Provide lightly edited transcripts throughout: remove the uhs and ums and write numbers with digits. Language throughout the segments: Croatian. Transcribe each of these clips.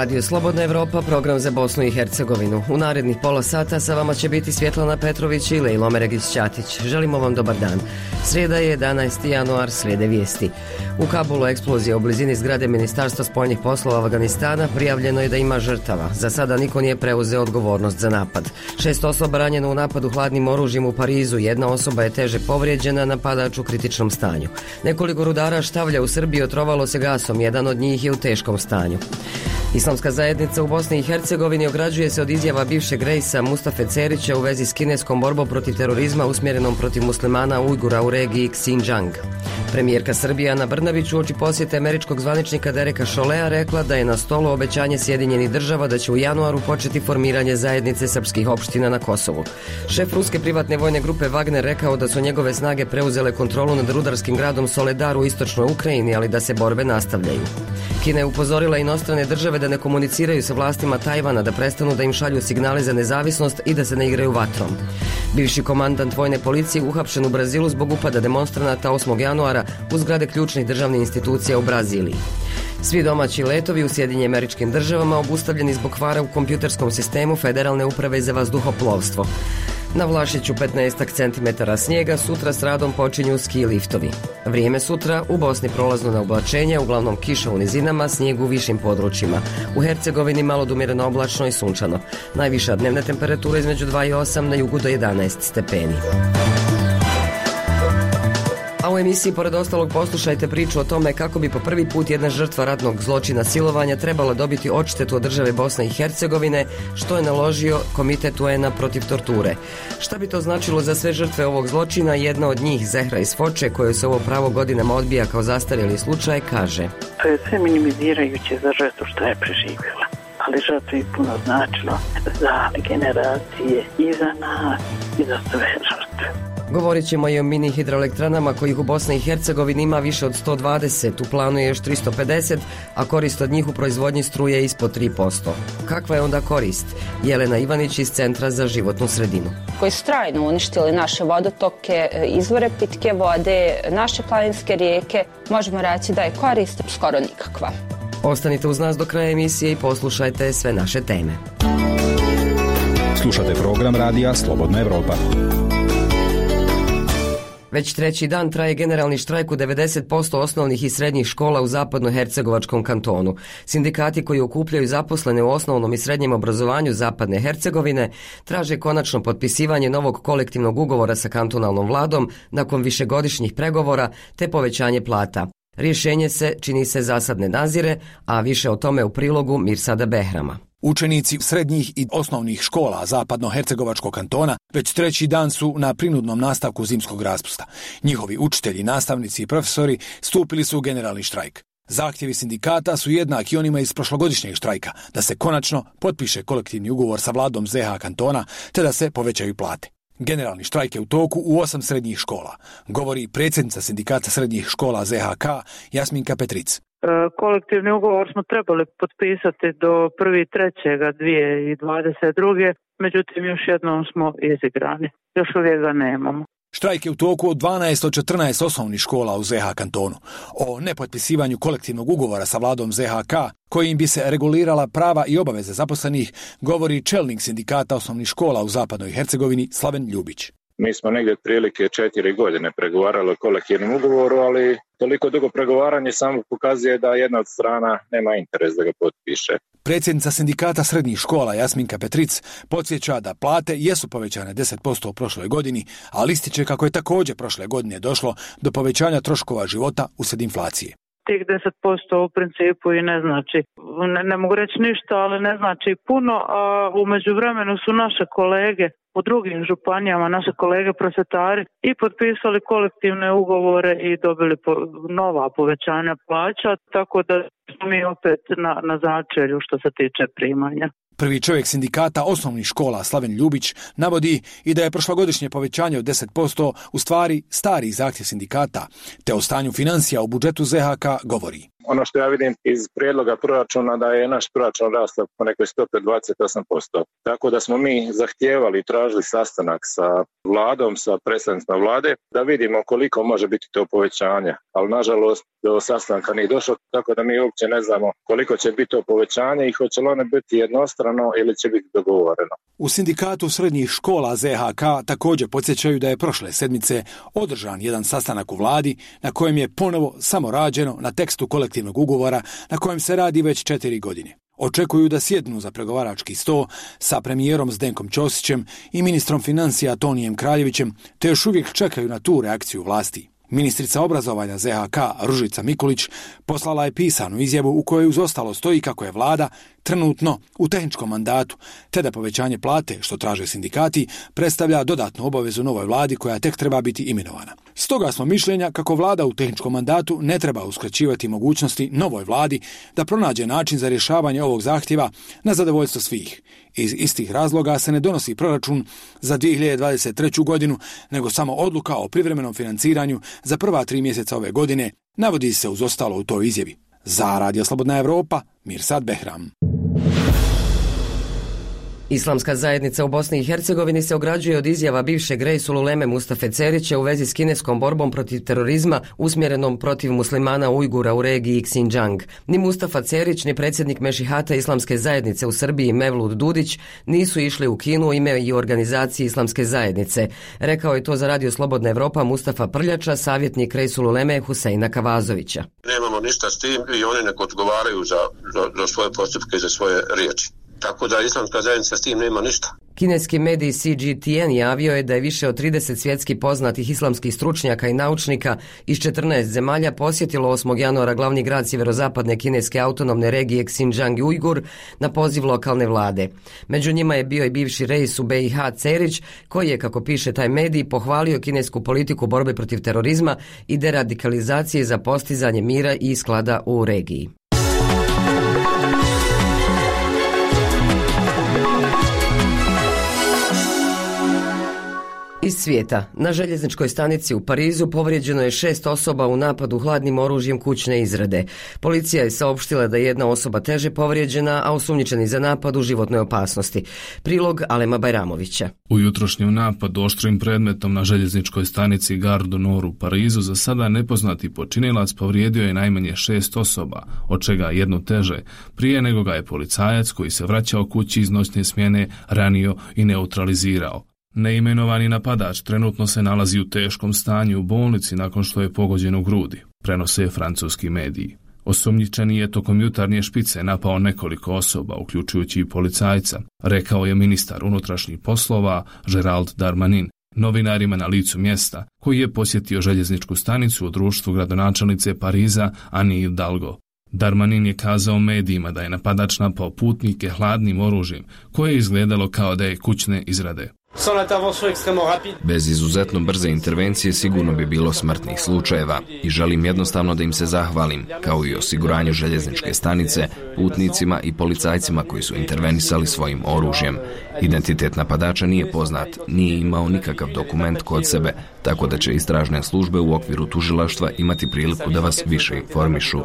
Radio Slobodna Evropa, program za Bosnu i Hercegovinu. U narednih pola sata sa vama će biti Svjetlana Petrović i Lejlo Meregić-Ćatić. Želimo vam dobar dan. Srijeda je 11. januar, slijede vijesti. U Kabulu eksplozija u blizini zgrade Ministarstva spoljnih poslova Afganistana, prijavljeno je da ima žrtava. Za sada niko nije preuzeo odgovornost za napad. 6 osoba ranjeno u napadu hladnim oružjem u Parizu, jedna osoba je teže povrijeđena, napadač u kritičnom stanju. Nekoliko rudara štavlja u Srbiji otrovalo se gasom, jedan od njih je u teškom stanju. Islamska zajednica u Bosni i Hercegovini ograđuje se od izjava bivšeg rejsa Mustafe Cerića u vezi s kineskom borbom protiv terorizma usmjerenom protiv muslimana Ujgura u regiji Xinjiang. Premijerka Srbije Ana Brnabić uoči posjete američkog zvaničnika Dereka Cholea rekla da je na stolu obećanje Sjedinjenih država da će u januaru početi formiranje zajednice srpskih opština na Kosovu. Šef ruske privatne vojne grupe Wagner rekao da su njegove snage preuzele kontrolu nad rudarskim gradom Soledar u istočnoj Ukrajini, ali da se borbe nastavljaju. Kina je upozorila inostrane države da ne komuniciraju sa vlastima Tajvana, da prestanu da im šalju signale za nezavisnost i da se ne igraju vatrom. Bivši komandant vojne policije uhapšen u Brazilu zbog upada demonstranata 8. januara u zgrade ključnih državnih institucija u Braziliji. Svi domaći letovi u Sjedinjenim Američkim Državama obustavljeni zbog kvara u kompjuterskom sistemu Federalne uprave za vazduhoplovstvo. Na Vlašiću 15 centimetara snijega, sutra s radom počinju ski liftovi. Vrijeme sutra u Bosni prolazno na oblačenje, uglavnom kiša u nizinama, snijeg u višim područjima. U Hercegovini malo do umjereno oblačno i sunčano. Najviša dnevna temperatura između 2 i 8, na jugu do 11 stepeni. A u emisiji pored ostalog poslušajte priču o tome kako bi po prvi put jedna žrtva ratnog zločina silovanja trebala dobiti odštetu od države Bosne i Hercegovine, što je naložio Komitet UN-a protiv torture. Šta bi to značilo za sve žrtve ovog zločina? Jedna od njih, Zehra iz Foče, koju se ovo pravo godinama odbija kao zastarjeli slučaj, kaže: To je sve minimizirajuće za žrtvu što je preživjela, ali žrtvo je puno značilo za generacije i za nas i za sve žrtve. Govorit ćemo i o mini hidroelektranama kojih u Bosni i Hercegovini ima više od 120, u planu je još 350, a korist od njih u proizvodnji struje je ispod 3%. Kakva je onda korist? Jelena Ivanić iz Centra za životnu sredinu. Koji su trajno uništili naše vodotoke, izvore pitke vode, naše planinske rijeke, možemo reći da je korist skoro nikakva. Ostanite uz nas do kraja emisije i poslušajte sve naše teme. Slušate program radija Slobodna Evropa. Već treći dan traje generalni štrajk u 90% osnovnih i srednjih škola u zapadno-hercegovačkom kantonu. Sindikati koji okupljaju zaposlene u osnovnom i srednjem obrazovanju Zapadne Hercegovine traže konačno potpisivanje novog kolektivnog ugovora sa kantonalnom vladom nakon višegodišnjih pregovora te povećanje plata. Rješenje se, čini se, zasad ne nazire, a više o tome u prilogu Mirsada Behrama. Učenici srednjih i osnovnih škola Zapadno-hercegovačkog kantona već treći dan su na prinudnom nastavku zimskog raspusta. Njihovi učitelji, nastavnici i profesori stupili su u generalni štrajk. Zahtjevi sindikata su jednaki onima iz prošlogodišnjeg štrajka, da se konačno potpiše kolektivni ugovor sa vladom ZH kantona te da se povećaju plate. Generalni štrajk je u toku u 8 srednjih škola, govori predsjednica sindikata srednjih škola ZHK Jasminka Petric. Kolektivni ugovor smo trebali potpisati do 1.3.2022. Međutim, još jednom smo izigrani. Još uvijek ga nemamo. Štrajk je u toku od 12 od 14 osnovnih škola u ZH kantonu. O nepotpisivanju kolektivnog ugovora sa vladom ZHK, kojim bi se regulirala prava i obaveze zaposlenih, govori čelnik sindikata osnovnih škola u Zapadnoj Hercegovini Slaven Ljubić. Mi smo negdje otprilike 4 godine pregovarali o kolektivnom ugovoru, ali toliko dugo pregovaranje samo pokazuje da jedna od strana nema interes da ga potpiše. Predsjednica sindikata srednjih škola Jasminka Petric podsjeća da plate jesu povećane 10% u prošloj godini, ali ističe kako je također prošle godine došlo do povećanja troškova života uslijed inflacije. Tih 10% u principu i ne znači, ne mogu reći ništa, ali ne znači puno, a u međuvremenu su naše kolege u drugim županijama, naše kolege prosvjetari i potpisali kolektivne ugovore i dobili nova povećanja plaća, tako da smo mi opet na začelju što se tiče primanja. Prvi čovjek sindikata osnovnih škola Slaven Ljubić navodi i da je prošlogodišnje povećanje od 10% u stvari stari zahtjev sindikata, te o stanju financija u budžetu ZHK govori. Ono što ja vidim iz prijedloga proračuna da je naš proračun rastao po nekoj stopi od 28%. Tako da smo mi zahtijevali i tražili sastanak sa vladom, sa predstavnicima vlade, da vidimo koliko može biti to povećanje. Ali nažalost do sastanka nije došlo, tako da mi uopće ne znamo koliko će biti to povećanje i hoće li ono biti jednostrano ili će biti dogovoreno. U sindikatu srednjih škola ZHK također podsjećaju da je prošle sedmice održan jedan sastanak u vladi na kojem je ponovo samo rađeno na tekstu kolektivnog ugovora na kojem se radi već 4 godine. Očekuju da sjednu za pregovarački sto sa premijerom Zdenkom Ćosićem i ministrom financija Tonijem Kraljevićem, te još uvijek čekaju na tu reakciju vlasti. Ministrica obrazovanja ZHK Ružica Mikulić poslala je pisanu izjavu u kojoj uz ostalo stoji kako je vlada trenutno u tehničkom mandatu, te da povećanje plate, što traže sindikati, predstavlja dodatnu obavezu novoj vladi koja tek treba biti imenovana. Stoga smo mišljenja kako vlada u tehničkom mandatu ne treba uskraćivati mogućnosti novoj vladi da pronađe način za rješavanje ovog zahtjeva na zadovoljstvo svih. Iz istih razloga se ne donosi proračun za 2023. godinu, nego samo odluka o privremenom financiranju za prva 3 mjeseca ove godine, navodi se uz ostalo u toj izjavi. Za Radio Slobodna Evropa, Mirsad Behram. Islamska zajednica u Bosni i Hercegovini se ograđuje od izjava bivšeg Reisul Uleme Mustafe Cerića u vezi s kineskom borbom protiv terorizma usmjerenom protiv muslimana Ujgura u regiji Xinjiang. Ni Mustafa Cerić, ni predsjednik Mešihata Islamske zajednice u Srbiji Mevlud Dudić nisu išli u Kinu u ime i organizaciji Islamske zajednice. Rekao je to za Radio Slobodna Evropa Mustafa Prljača, savjetnik Reisul Uleme Huseina Kavazovića. Nemamo ništa s tim i oni nek odgovaraju za svoje postupke i za svoje riječi. Tako da Islamska zajednica s tim nema ništa. Kineski medij CGTN javio je da je više od 30 svjetski poznatih islamskih stručnjaka i naučnika iz 14 zemalja posjetilo 8. januara glavni grad sjeverozapadne kineske autonomne regije Xinjiang i Ujgur na poziv lokalne vlade. Među njima je bio i bivši reis u BiH Cerić, koji je, kako piše taj medij, pohvalio kinesku politiku borbe protiv terorizma i deradikalizacije za postizanje mira i sklada u regiji. Iz svijeta. Na željezničkoj stanici u Parizu povrijeđeno je 6 osoba u napadu hladnim oružjem kućne izrade. Policija je saopštila da je jedna osoba teže povrijeđena, a osumnjičeni za napad u životnoj opasnosti. Prilog Alema Bajramovića. U jutrošnjem napadu oštrim predmetom na željezničkoj stanici Gare du Nord u Parizu za sada nepoznati počinilac povrijedio je najmanje 6 osoba, od čega jednu teže, prije nego ga je policajac koji se vraćao kući iz noćne smjene ranio i neutralizirao. Neimenovani napadač trenutno se nalazi u teškom stanju u bolnici nakon što je pogođen u grudi, prenose francuski mediji. Osumnjičeni je tokom jutarnje špice napao nekoliko osoba, uključujući i policajca, rekao je ministar unutrašnjih poslova Gérald Darmanin novinarima na licu mjesta, koji je posjetio željezničku stanicu u društvu gradonačelnice Pariza Anne Hidalgo. Darmanin je kazao medijima da je napadač napao putnike hladnim oružjem, koje je izgledalo kao da je kućne izrade. Bez izuzetno brze intervencije sigurno bi bilo smrtnih slučajeva i želim jednostavno da im se zahvalim, kao i osiguranju željezničke stanice, putnicima i policajcima koji su intervenisali svojim oružjem. Identitet napadača nije poznat, nije imao nikakav dokument kod sebe, tako da će istražne službe u okviru tužilaštva imati priliku da vas više informišu.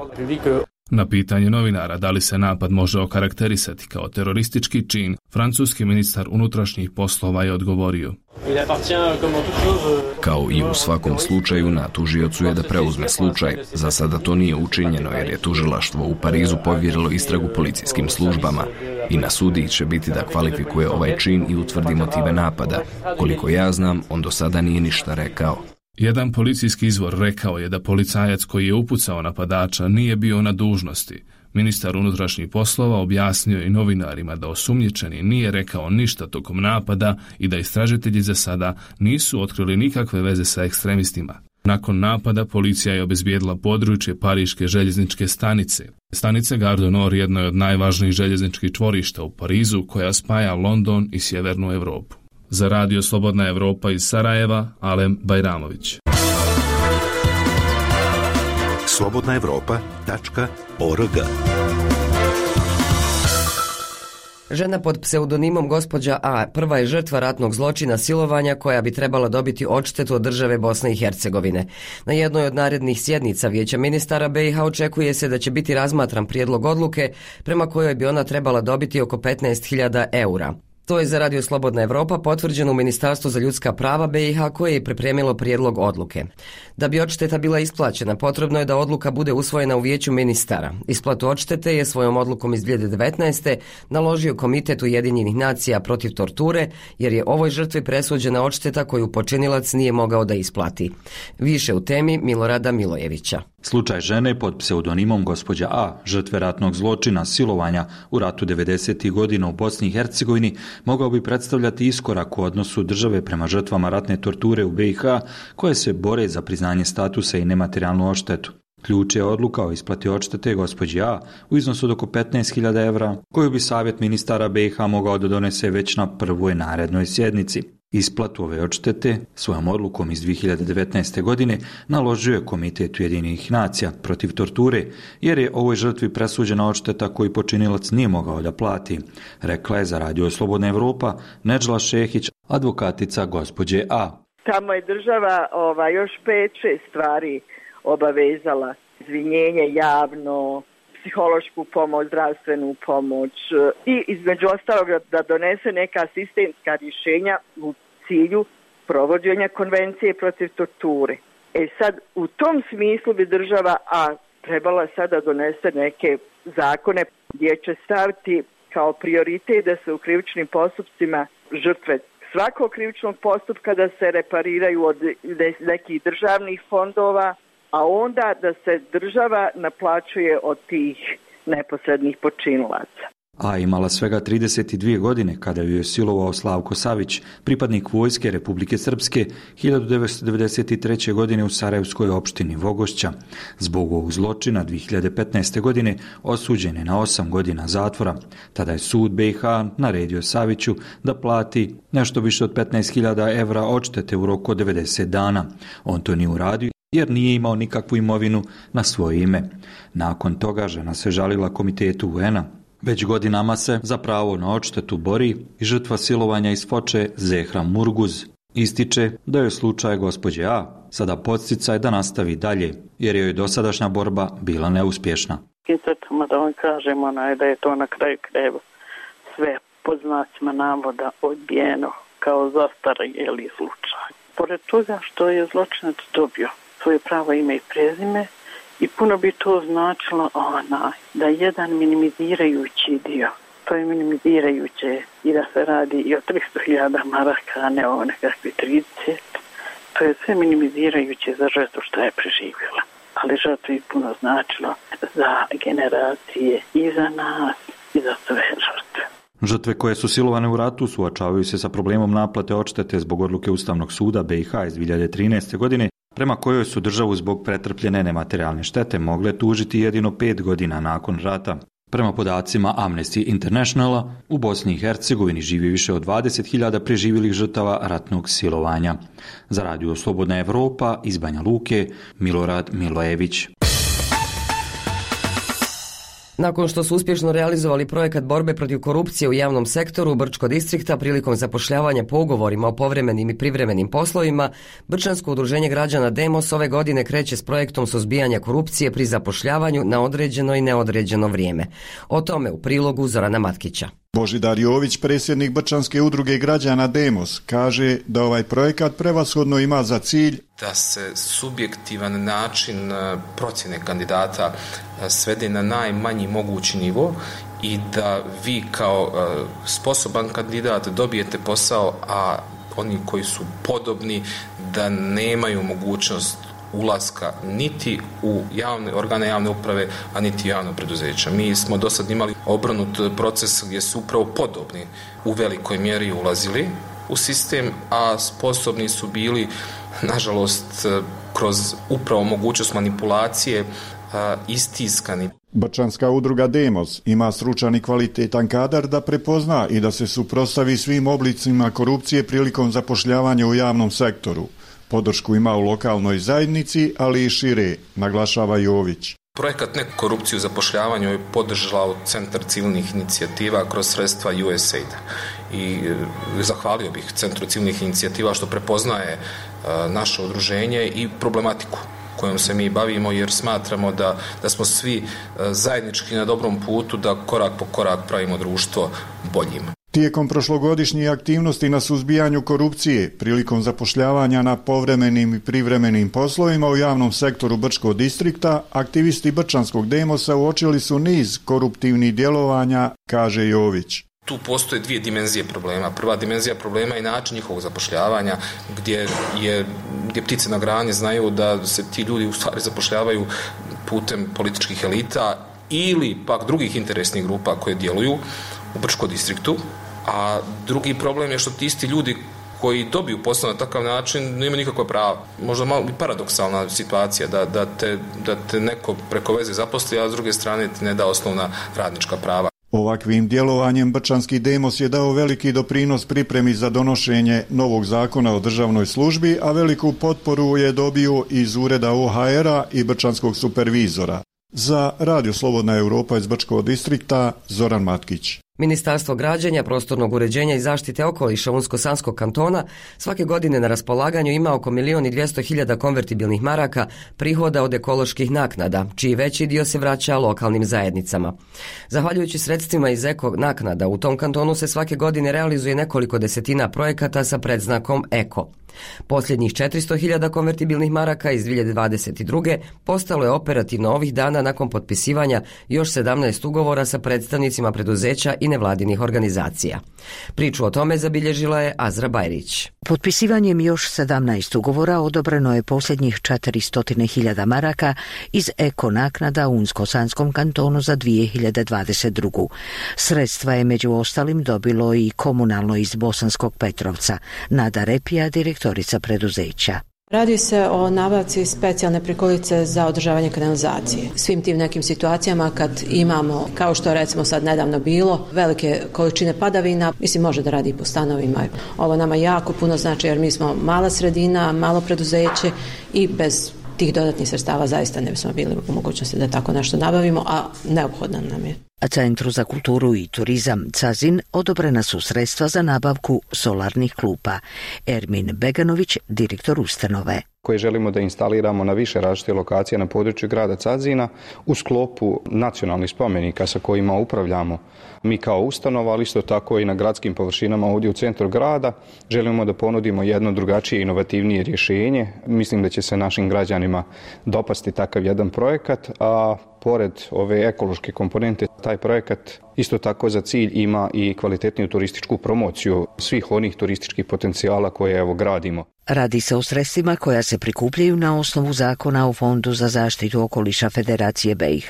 Na pitanje novinara da li se napad može okarakterisati kao teroristički čin, francuski ministar unutrašnjih poslova je odgovorio: kao i u svakom slučaju, na tužiocu je da preuzme slučaj. Za sada to nije učinjeno jer je tužilaštvo u Parizu povjerilo istragu policijskim službama i na sudiji će biti da kvalifikuje ovaj čin i utvrdi motive napada. Koliko ja znam, on do sada nije ništa rekao. Jedan policijski izvor rekao je da policajac koji je upucao napadača nije bio na dužnosti. Ministar unutrašnjih poslova objasnio i novinarima da osumnjičeni nije rekao ništa tokom napada i da istražitelji za sada nisu otkrili nikakve veze sa ekstremistima. Nakon napada policija je obezbijedila područje pariške željezničke stanice. Stanica Gare du Nord jedno je od najvažnijih željezničkih čvorišta u Parizu koja spaja London i sjevernu Europu. Za Radio Slobodna Evropa iz Sarajeva, Alem Bajramović. slobodnaevropa.org Žena pod pseudonimom gospođa A prva je žrtva ratnog zločina silovanja koja bi trebala dobiti odštetu od države Bosne i Hercegovine. Na jednoj od narednih sjednica Vijeća ministara BiH očekuje se da će biti razmatran prijedlog odluke prema kojoj bi ona trebala dobiti oko 15.000 eura. To je za Radio Slobodna Evropa potvrđeno u Ministarstvu za ljudska prava BiH koje je pripremilo prijedlog odluke. Da bi odšteta bila isplaćena, potrebno je da odluka bude usvojena u Vijeću ministara. Isplatu odštete je svojom odlukom iz 2019. naložio Komitet Ujedinjenih nacija protiv torture, jer je ovoj žrtvi presuđena odšteta koju počinilac nije mogao da isplati. Više u temi Milorada Milojevića. Slučaj žene pod pseudonimom gospođa A, žrtve ratnog zločina, silovanja u ratu 90. godina u Bosni i Hercegovini, mogao bi predstavljati iskorak u odnosu države prema žrtvama ratne torture u BiH koje se bore za priznanje statusa i nematerijalnu odštetu. Ključ je odluka o isplati odštete gospođi A u iznosu od oko 15.000 evra, koju bi Savjet ministara BiH mogao da donese već na prvoj narednoj sjednici. Isplatu ove odštete svojom odlukom iz 2019. godine naložio je Komitet Ujedinjenih nacija protiv torture, jer je ovoj žrtvi presuđena odšteta koju počinilac nije mogao da plati, rekla je za Radio Slobodna Evropa Nedžla Šehić, advokatica gospođe A. Tamo je država još 5-6 stvari obavezala. Izvinjenje javno, psihološku pomoć, zdravstvenu pomoć i između ostalog da donese neka sistemska rješenja u cilju provođenja konvencije protiv torture. Sad, u tom smislu bi država trebala sada donese neke zakone gdje će staviti kao prioritet da se u krivičnim postupcima žrtve svakog krivičnog postupka da se repariraju od nekih državnih fondova, a onda da se država naplaćuje od tih neposrednih počinilaca. A imala svega 32 godine kada ju je silovao Slavko Savić, pripadnik vojske Republike Srpske, 1993. godine u Sarajevskoj opštini Vogošća. Zbog ovog zločina 2015. godine osuđen je na 8 godina zatvora. Tada je sud BiH naredio Saviću da plati nešto više od 15.000 evra odštete u roku od 90 dana. On to nije uradio jer nije imao nikakvu imovinu na svoje ime. Nakon toga žena se žalila Komitetu UN-a. Već godinama se za pravo na odštetu bori i žrtva silovanja iz Foče Zehra Murguz. Ističe da je slučaj gospođe A sada podsticaj da nastavi dalje, jer joj dosadašnja borba bila neuspješna. Crtama da vam kažemo da je to na kraju krajeva sve pod znacima navoda odbijeno kao zastarjeli slučaj. Pored toga što je zločinac dobio svoje pravo ime i prezime, i puno bi to značilo da jedan minimizirajući dio, to je minimizirajuće i da se radi i o 300.000 maraka, a ne o nekakvi 30, to je sve minimizirajuće za žrtvu što je preživjela. Ali žrtvu je puno značilo za generacije i za nas i za sve žrtve. Žrtve koje su silovane u ratu suočavaju se sa problemom naplate odštete zbog odluke Ustavnog suda BiH iz 2013. godine, prema kojoj su državu zbog pretrpljene nematerijalne štete mogle tužiti jedino 5 godina nakon rata. Prema podacima Amnesty Internationala, u Bosni i Hercegovini živi više od 20.000 preživjelih žrtava ratnog silovanja. Za Radio Slobodna Evropa iz Banja Luke, Milorad Milojević. Nakon što su uspješno realizovali projekat borbe protiv korupcije u javnom sektoru Brčko distrikta prilikom zapošljavanja po ugovorima o povremenim i privremenim poslovima, Brčansko udruženje građana Demos ove godine kreće s projektom suzbijanja korupcije pri zapošljavanju na određeno i neodređeno vrijeme. O tome u prilogu Zorana Matkića. Božidar Jović, predsjednik Brčanske udruge građana Demos, kaže da ovaj projekat prevashodno ima za cilj da se subjektivan način procjene kandidata svede na najmanji mogući nivo i da vi kao sposoban kandidat dobijete posao, a oni koji su podobni da nemaju mogućnost ulaska niti u organe javne uprave, a niti javno preduzeća. Mi smo do sad imali obrnut proces gdje su upravo podobni u velikoj mjeri ulazili u sistem, a sposobni su bili, nažalost, kroz upravo mogućnost manipulacije istiskani. Brčanska udruga Demos ima stručan i kvalitetan kadar da prepozna i da se suprotstavi svim oblicima korupcije prilikom zapošljavanja u javnom sektoru. Podršku ima u lokalnoj zajednici, ali i šire, naglašava Jović. Projekat Neku korupciju zapošljavanju je podržao Centar civilnih inicijativa kroz sredstva USAID. I zahvalio bih Centru civilnih inicijativa što prepoznaje naše udruženje i problematiku kojom se mi bavimo, jer smatramo da smo svi zajednički na dobrom putu da korak po korak pravimo društvo boljim. Tijekom prošlogodišnjih aktivnosti na suzbijanju korupcije, prilikom zapošljavanja na povremenim i privremenim poslovima u javnom sektoru Brčkog distrikta, aktivisti Brčanskog Demosa uočili su niz koruptivnih djelovanja, kaže Jović. Tu postoje dvije dimenzije problema. Prva dimenzija problema je način njihovog zapošljavanja, gdje ptice na grani znaju da se ti ljudi u stvari zapošljavaju putem političkih elita ili pak drugih interesnih grupa koje djeluju u Brčkom distriktu. A drugi problem je što ti isti ljudi koji dobiju posao na takav način nemaju nikakva prava. Možda malo paradoksalna situacija da te neko preko veze zaposli, a s druge strane ti ne da osnovna radnička prava. Ovakvim djelovanjem Brčanski Demos je dao veliki doprinos pripremi za donošenje novog zakona o državnoj službi, a veliku potporu je dobio iz ureda OHR-a i Brčanskog supervizora. Za Radio Slobodna Europa iz Brčkog distrikta, Zoran Matkić. Ministarstvo građenja, prostornog uređenja i zaštite okoliša Unsko-Sanskog kantona svake godine na raspolaganju ima oko 1.200.000 konvertibilnih maraka prihoda od ekoloških naknada, čiji veći dio se vraća lokalnim zajednicama. Zahvaljujući sredstvima iz eko naknada, u tom kantonu se svake godine realizuje nekoliko desetina projekata sa predznakom Eko. Posljednjih 400.000 konvertibilnih maraka iz 2022. postalo je operativno ovih dana nakon potpisivanja još 17 ugovora sa predstavnicima preduzeća i nevladinih organizacija. Priču o tome zabilježila je Azra Bajrić. Potpisivanjem još 17 ugovora odobreno je posljednjih 400.000 maraka iz eko naknada u Unsko-Sanskom kantonu za 2022. Sredstva je među ostalim dobilo i komunalno iz Bosanskog Petrovca. Nada Repija, direktorica preduzeća. Radi se o nabavci specijalne prikolice za održavanje kanalizacije. Svim tim nekim situacijama kad imamo, kao što recimo sad nedavno bilo, velike količine padavina, mislim može da radi i po stanovima. Ovo nama jako puno znači jer mi smo mala sredina, malo preduzeće i bez tih dodatnih sredstava zaista ne bismo bili u mogućnosti da tako nešto nabavimo, a neophodno nam je. Centru za kulturu i turizam Cazin odobrena su sredstva za nabavku solarnih klupa. Ermin Beganović, direktor ustanove. Koje želimo da instaliramo na više različite lokacije na području grada Cazina u sklopu nacionalnih spomenika sa kojima upravljamo mi kao ustanova, ali isto tako i na gradskim površinama ovdje u centru grada. Želimo da ponudimo jedno drugačije inovativnije rješenje. Mislim da će se našim građanima dopasti takav jedan projekat, a pored ove ekološke komponente, taj projekat isto tako za cilj ima i kvalitetniju turističku promociju svih onih turističkih potencijala koje evo gradimo. Radi se o sredstvima koja se prikupljaju na osnovu zakona o Fondu za zaštitu okoliša Federacije BiH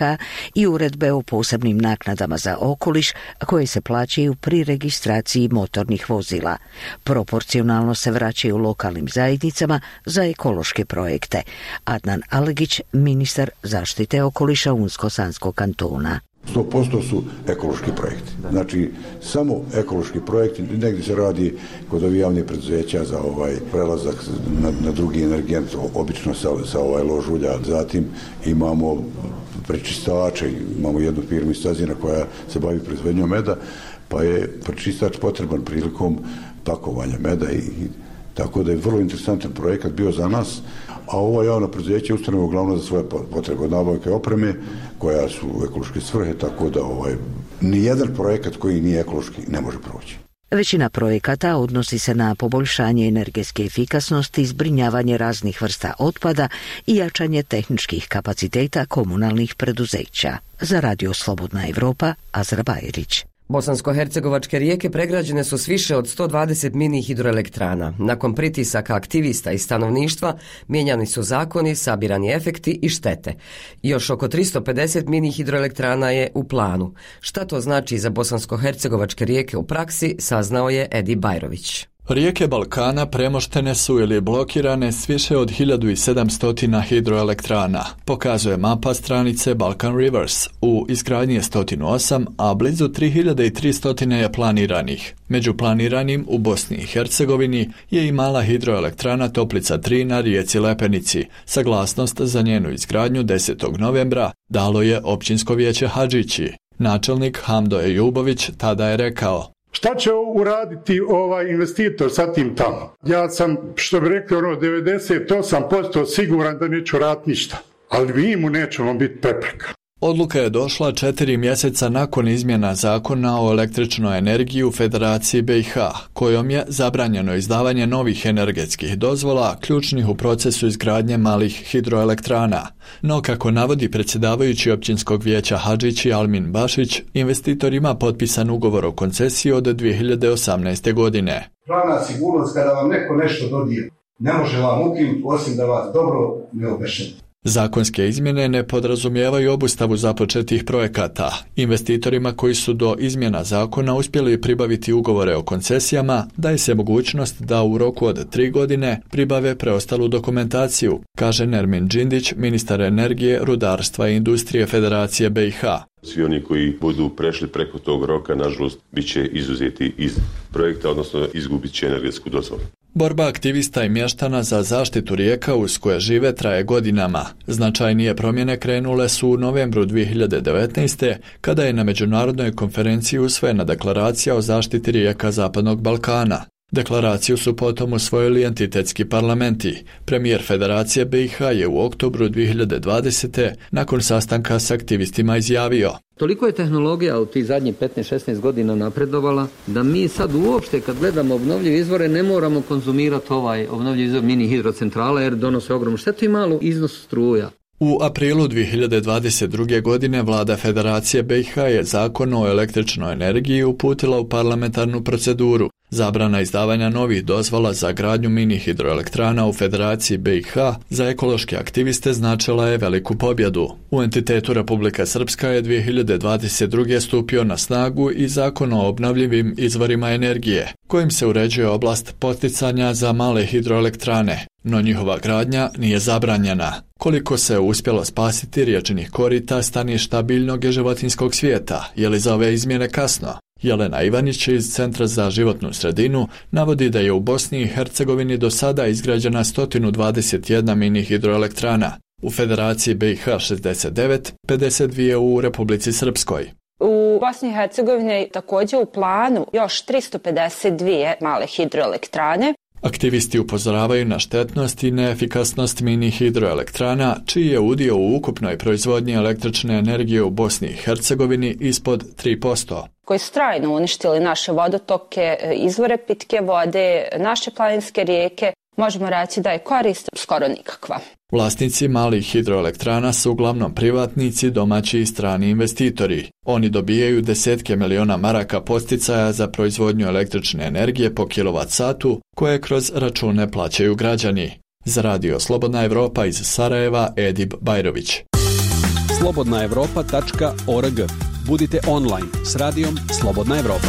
i uredbe o posebnim naknadama za okoliš koje se plaćaju pri registraciji motornih vozila. Proporcionalno se vraćaju lokalnim zajednicama za ekološke projekte. Adnan Alegić, ministar zaštite okoliša Unsko-Sanskog kantona. 100% su ekološki projekti. Znači, samo ekološki projekti, negdje se radi kod ovih javnih preduzeća za prelazak na drugi energent, obično sa lož ulja. Zatim imamo prečistače, imamo jednu firmu iz Cazina koja se bavi proizvodnjom meda, pa je prečistač potreban prilikom pakovanja meda i tako da je vrlo interesantan projekat bio za nas. A ovo javno preduzeće ustanove uglavnom za svoje potrebe od nabavke opreme koja su u ekološke svrhe, tako da nijedan projekat koji nije ekološki ne može proći. Većina projekata odnosi se na poboljšanje energetske efikasnosti, zbrinjavanje raznih vrsta otpada i jačanje tehničkih kapaciteta komunalnih preduzeća. Za Radio Slobodna Europa, Azra Bajrić. Bosansko-hercegovačke rijeke pregrađene su s više od 120 mini hidroelektrana. Nakon pritisaka aktivista i stanovništva mijenjani su zakoni, sabirani efekti i štete. Još oko 350 mini hidroelektrana je u planu. Šta to znači za bosansko-hercegovačke rijeke u praksi, saznao je Edi Bajrović. Rijeke Balkana premoštene su ili blokirane s više od 1700 hidroelektrana, pokazuje mapa stranice Balkan Rivers. U izgradnji je 108, a blizu 3300 je planiranih. Među planiranim u Bosni i Hercegovini je i mala hidroelektrana Toplica 3 na rijeci Lepenici. Saglasnost za njenu izgradnju 10. novembra dalo je općinsko vijeće Hadžići. Načelnik Hamdo Ejubović tada je rekao: šta će uraditi ovaj investitor sa tim tamo? Ja sam, što bi rekli, 98% siguran da neću raditi ništa, ali mi mu nećemo biti prepreka. Odluka je došla 4 mjeseca nakon izmjena zakona o električnoj energiji u Federaciji BiH, kojom je zabranjeno izdavanje novih energetskih dozvola ključnih u procesu izgradnje malih hidroelektrana. No, kako navodi predsjedavajući općinskog vijeća Hadžići Almin Bašić, investitor ima potpisan ugovor o koncesiji od 2018. godine. Pravna sigurnost kada vam neko nešto dodijeli, ne može vam ukinuti osim da vas dobro ne obešeni. Zakonske izmjene ne podrazumijevaju obustavu započetih projekata. Investitorima koji su do izmjena zakona uspjeli pribaviti ugovore o koncesijama daje se mogućnost da u roku od 3 godine pribave preostalu dokumentaciju, kaže Nermin Džindić, ministar energije, rudarstva i industrije Federacije BiH. Svi oni koji budu prešli preko tog roka, nažalost, bit će izuzeti iz projekta, odnosno izgubit će energetsku dozvolu. Borba aktivista i mještana za zaštitu rijeka uz koje žive traje godinama. Značajnije promjene krenule su u novembru 2019. kada je na međunarodnoj konferenciji usvojena deklaracija o zaštiti rijeka Zapadnog Balkana. Deklaraciju su potom usvojili entitetski parlamenti. Premijer Federacije BiH je u oktobru 2020. nakon sastanka s aktivistima izjavio: toliko je tehnologija u tih zadnjih 15-16 godina napredovala da mi sad uopšte kad gledamo obnovljive izvore ne moramo konzumirati ovaj obnovljivi izvor mini hidrocentrala jer donose ogromnu štetu i malu iznos struja. U aprilu 2022. godine vlada Federacije BiH je zakon o električnoj energiji uputila u parlamentarnu proceduru. Zabrana izdavanja novih dozvola za gradnju mini hidroelektrana u Federaciji BiH za ekološke aktiviste značila je veliku pobjedu. U entitetu Republika Srpska je 2022. stupio na snagu i zakon o obnovljivim izvorima energije, kojim se uređuje oblast poticanja za male hidroelektrane, no njihova gradnja nije zabranjena. Koliko se uspjelo spasiti riječnih korita, staništa biljnog i životinjskog svijeta, je li za ove izmjene kasno? Jelena Ivanić iz Centra za životnu sredinu navodi da je u Bosni i Hercegovini do sada izgrađena 121 mini hidroelektrana, u Federaciji BiH 69, 52 u Republici Srpskoj. U Bosni i Hercegovini je također u planu još 352 male hidroelektrane. Aktivisti upozoravaju na štetnost i neefikasnost mini hidroelektrana, čiji je udio u ukupnoj proizvodnji električne energije u Bosni i Hercegovini ispod 3%. Koji su trajno uništili naše vodotoke, izvore pitke vode, naše planinske rijeke, možemo reći da je korist skoro nikakva. Vlasnici malih hidroelektrana su uglavnom privatnici, domaći i strani investitori. Oni dobijaju desetke miliona maraka podsticaja za proizvodnju električne energije po kilovat-satu, koje kroz račune plaćaju građani. Za radio Slobodna Evropa iz Sarajeva, Edip Bajrović. slobodnaevropa.org. Budite online s radijom Slobodna Evropa.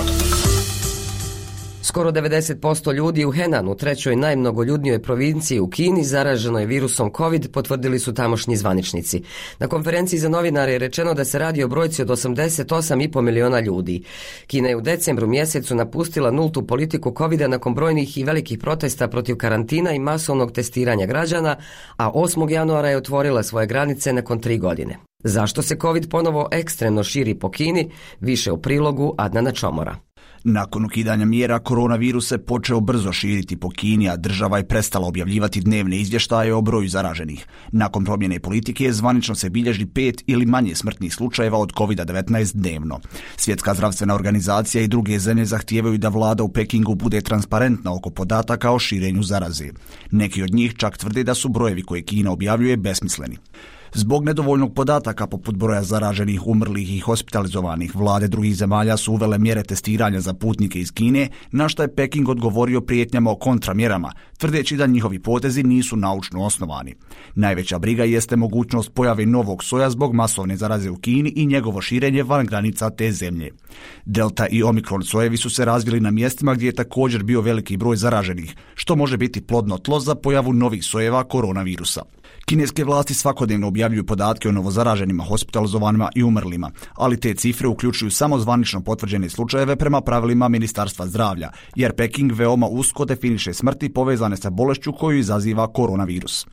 Skoro 90% ljudi u Henanu, trećoj najmnogoljudnijoj provinciji u Kini, zaraženo je virusom COVID, potvrdili su tamošnji zvaničnici. Na konferenciji za novinare je rečeno da se radi o brojci od 88,5 miliona ljudi. Kina je u decembru mjesecu napustila nultu politiku COVID-a nakon brojnih i velikih protesta protiv karantina i masovnog testiranja građana, a 8. januara je otvorila svoje granice nakon 3 godine. Zašto se COVID ponovo ekstremno širi po Kini? Više u prilogu Adnana Čomora. Nakon ukidanja mjera, koronavirus se počeo brzo širiti po Kini, a država je prestala objavljivati dnevne izvještaje o broju zaraženih. Nakon promjene politike, zvanično se bilježi 5 ili manje smrtnih slučajeva od COVID-19 dnevno. Svjetska zdravstvena organizacija i druge zemlje zahtijevaju da vlada u Pekingu bude transparentna oko podataka o širenju zaraze. Neki od njih čak tvrde da su brojevi koje Kina objavljuje besmisleni. Zbog nedovoljnog podataka poput broja zaraženih, umrlih i hospitalizovanih, vlade drugih zemalja su uvele mjere testiranja za putnike iz Kine, na što je Peking odgovorio prijetnjama o kontramjerama, tvrdeći da njihovi potezi nisu naučno osnovani. Najveća briga jeste mogućnost pojave novog soja zbog masovne zaraze u Kini i njegovo širenje van granica te zemlje. Delta i Omikron sojevi su se razvili na mjestima gdje je također bio veliki broj zaraženih, što može biti plodno tlo za pojavu novih sojeva koronavirusa. Kineske vlasti svakodnevno objavljuju podatke o novozaraženima, hospitalizovanima i umrlima, ali te cifre uključuju samo zvanično potvrđene slučajeve prema pravilima Ministarstva zdravlja, jer Peking veoma usko definiše smrti povezane sa bolešću koju izaziva koronavirus.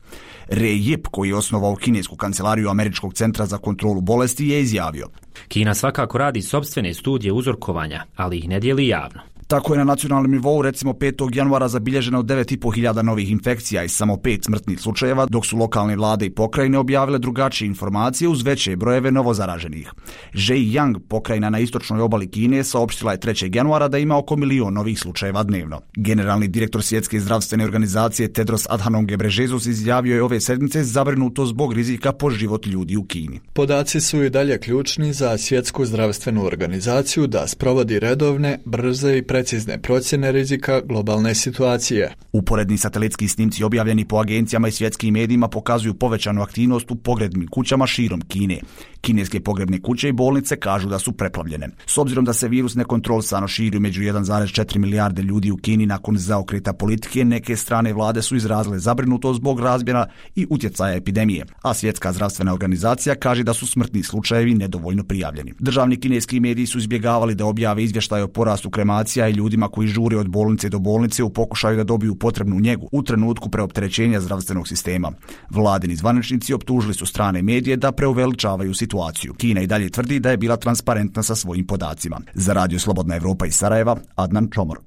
Ray Yip, koji je osnovao kinesku kancelariju Američkog centra za kontrolu bolesti, je izjavio: Kina svakako radi sopstvene studije uzorkovanja, ali ih ne dijeli javno. Tako je na nacionalnom nivou recimo 5. januara zabilježeno 9.500 novih infekcija i samo 5 smrtnih slučajeva, dok su lokalne vlade i pokrajine objavile drugačije informacije uz veće brojeve novozaraženih. Zhejiang, pokrajina na istočnoj obali Kine, saopštila je 3. januara da ima oko 1 milion novih slučajeva dnevno. Generalni direktor Svjetske zdravstvene organizacije Tedros Adhanom Ghebreyesus izjavio je ove sedmice zabrinuto zbog rizika po život ljudi u Kini. Podaci su i dalje ključni za Svjetsku zdravstvenu organizaciju da sprovodi redovne, brze i precizne procjene rizika globalne situacije. Uporedni satelitski snimci objavljeni po agencijama i svjetskim medijima pokazuju povećanu aktivnost u pogrebnim kućama širom Kine. Kineske pogrebne kuće i bolnice kažu da su preplavljene. S obzirom da se virus nekontrolisano širi među 1,4 milijarde ljudi u Kini nakon zaokreta politike, neke strane vlade su izrazile zabrinutost zbog razmjera i utjecaja epidemije, a Svjetska zdravstvena organizacija kaže da su smrtni slučajevi nedovoljno prijavljeni. Državni kineski mediji su izbjegavali da objave izvještaje o porastu kremacija i ljudima koji žure od bolnice do bolnice u pokušaju da dobiju potrebnu njegu u trenutku preopterećenja zdravstvenog sistema. Vladini zvaničnici optužili su strane medije da preuveličavaju situaciju. Kina i dalje tvrdi da je bila transparentna sa svojim podacima. Za Radio Slobodna Evropa iz Sarajeva, Adnan Čomor.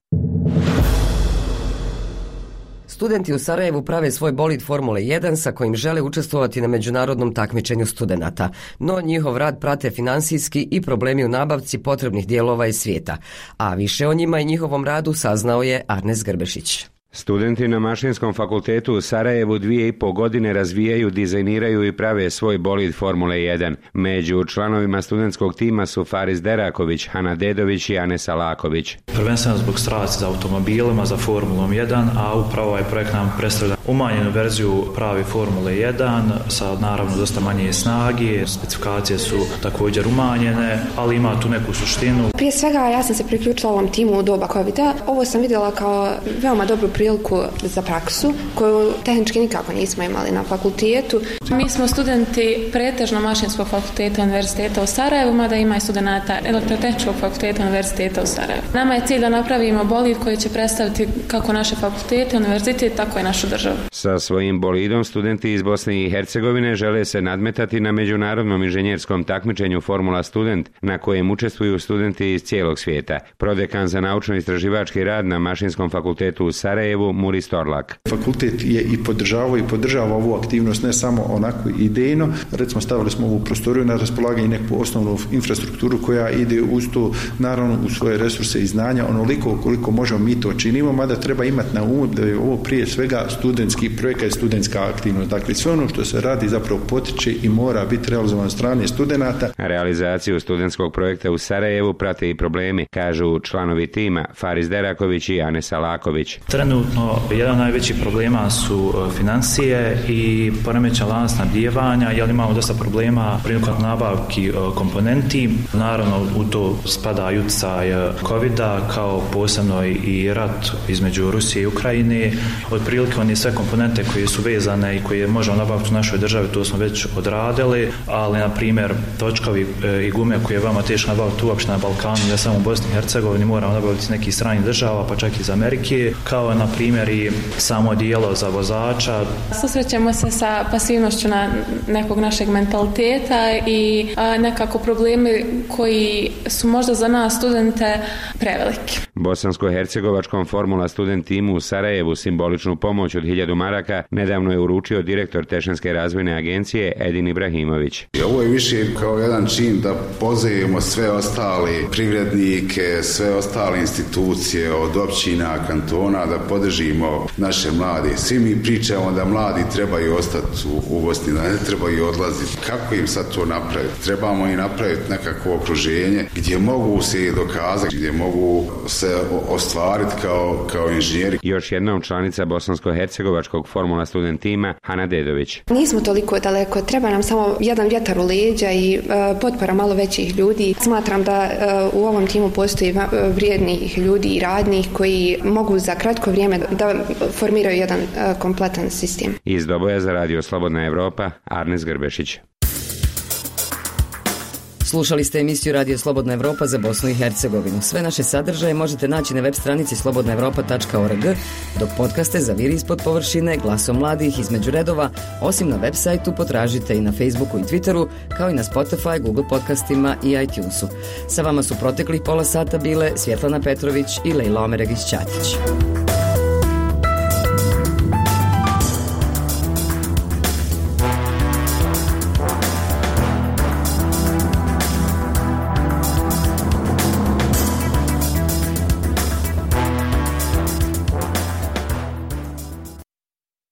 Studenti u Sarajevu prave svoj bolid Formule 1 sa kojim žele učestvovati na međunarodnom takmičenju studenata, no njihov rad prate finansijski i problemi u nabavci potrebnih dijelova iz svijeta. A više o njima i njihovom radu saznao je Arnes Grbešić. Studenti na Mašinskom fakultetu u Sarajevu 2,5 godine razvijaju, dizajniraju i prave svoj bolid Formule 1. Među članovima studentskog tima su Faris Deraković, Hana Dedović i Anes Alaković. Prvenstveno zbog strasti za automobilima, za Formulom 1, a upravo ovaj projekt nam predstavlja umanjenu verziju pravi Formule 1 sa naravno dosta manje snage, specifikacije su također umanjene, ali ima tu neku suštinu. Prije svega ja sam se priključila ovom timu u doba COVID-a. Ovo sam vidjela kao veoma dobru priliku za praksu, koju tehnički nikako nismo imali na fakultetu. Mi smo studenti pretežno Mašinskog fakulteta Univerziteta u Sarajevu, mada ima i studenata Elektrotehničkog fakulteta Univerziteta u Sarajevu. Nama je cilj da napravimo bolid koji će predstaviti kako naše fakultete, univerzitet, tako i našu državu. Sa svojim bolidom studenti iz Bosne i Hercegovine žele se nadmetati na međunarodnom inženjerskom takmičenju Formula Student, na kojem učestvuju studenti iz cijelog svijeta. Prodekan za naučno-istraživački rad na Mašinskom fakultetu u Sarajevu, Muris Torlak. Fakultet je i podržava ovu aktivnost ne samo onako idejno, recimo stavili smo ovu prostoriju na raspolaganje i neku osnovnu infrastrukturu koja ide uz to, naravno uz svoje resurse i znanja, onoliko koliko možemo mi to činimo, mada treba imati na umu da je ovo prije svega studentski projekat i studentska aktivnost. Dakle, sve ono što se radi zapravo potiče i mora biti realizovano od strane studenata. Realizaciju studentskog projekta u Sarajevu prate i problemi, kažu članovi tima Faris Deraković i Anes Alaković. Trenutno, jedan od najvećih problema su financije i poremećen lanac snabdijevanja, jer imamo dosta problema prilikom nabavki komponenti. Naravno, u to spada i utjecaj COVID-a, kao posebno i rat između Rusije i Ukrajine. Otprilike one sve komponente koje su vezane i koje možemo nabaviti u našoj državi, to smo već odradili, ali na primjer točkovi i gume koje je veoma teško nabaviti uopšte na Balkanu, ne samo u Bosni i Hercegovini, moramo nabaviti iz nekih stranih država, pa čak iz Amerike, kao na primjer i samo dijelo za vozača. Susrećemo se sa pasivnošću na nekog našeg mentaliteta i nekako problemi koji su možda za nas studente preveliki. Bosansko-hercegovačkom Formula Student timu u Sarajevu simboličnu pomoć od 1000 maraka nedavno je uručio direktor Tešanske razvojne agencije Edin Ibrahimović. Ovo je više kao jedan čin da pozovemo sve ostali privrednike, sve ostale institucije od općina, kantona, da podržimo naše mlade. Svi mi pričamo da mladi trebaju ostati u Bosni, da ne trebaju odlaziti. Kako im sad to napraviti? Trebamo i napraviti nekakvo okruženje gdje mogu se dokazati, gdje mogu se se ostvariti kao inženjeri. Još jednom članica bosansko-hercegovačkog Formula Student tima, Hana Dedović. Nismo toliko daleko, treba nam samo jedan vjetar u leđa i potpora malo većih ljudi. Smatram da u ovom timu postoji vrijednih ljudi i radnih koji mogu za kratko vrijeme da formiraju jedan kompletan sistem. Iz Doboja za Radio Slobodna Evropa, Arnes Grbešić. Slušali ste emisiju Radio Slobodna Evropa za Bosnu i Hercegovinu. Sve naše sadržaje možete naći na web stranici slobodnaevropa.org, dok podcaste za Vir ispod površine, Glasom mladih, Između redova, osim na web sajtu potražite i na Facebooku i Twitteru, kao i na Spotify, Google podcastima i iTunesu. Sa vama su proteklih pola sata bile Svjetlana Petrović i Lejla Omeregić-Ćatić.